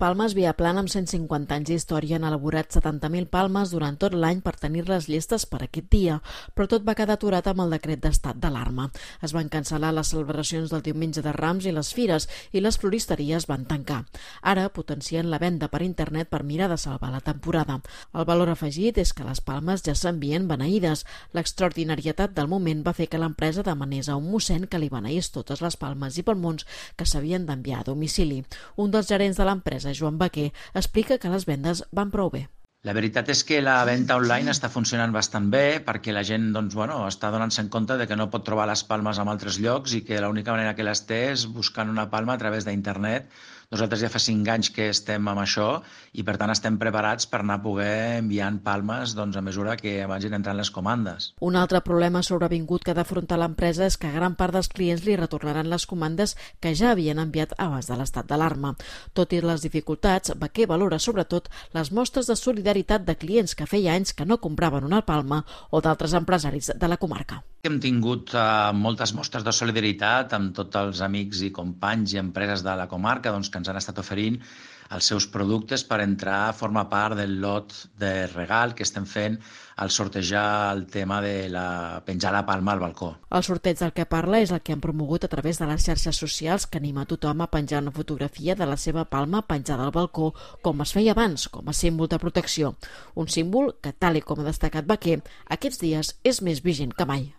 Palmes Viaplana, amb 150 anys d'història, han elaborat 70.000 palmes durant tot l'any per tenir-les llestes per aquest dia, però tot va quedar aturat amb el decret d'estat d'alarma. Es van cancel·lar les celebracions del diumenge de Rams i les fires, i les floristeries van tancar. Ara potencien la venda per internet per mirar de salvar la temporada. El valor afegit és que les palmes ja s'envien beneïdes. L'extraordinarietat del moment va fer que l'empresa demanés a un mossèn que li beneís totes les palmes i palmons que s'havien d'enviar a domicili. Un dels gerents de l'empresa, Joan Baquer, explica que les vendes van prou bé. La veritat és que la venda online està funcionant bastant bé perquè la gent està donant-se en compte de que no pot trobar les palmes en altres llocs i que l'única manera que les té és buscant una palma a través d'internet. Nosaltres ja fa 5 anys que estem amb això i per tant estem preparats per anar a poder enviant palmes a mesura que vagin entrant les comandes. Un altre problema sobrevingut que ha d'afrontar l'empresa és que gran part dels clients li retornaran les comandes que ja havien enviat abans de l'estat d'alarma. Tot i les dificultats, Baquer valora sobretot les mostres de solidaritat de clients que feia anys que no compraven una palma o d'altres empresaris de la comarca. Hem tingut moltes mostres de solidaritat amb tots els amics i companys i empreses de la comarca que ens han estat oferint els seus productes per entrar a formar part del lot de regal que estem fent al sortejar el tema de penjar la palma al balcó. El sorteig del que parla és el que han promogut a través de les xarxes socials, que anima tothom a penjar una fotografia de la seva palma penjada al balcó, com es feia abans, com a símbol de protecció. Un símbol que, tal com ha destacat Baquer, aquests dies és més vigent que mai.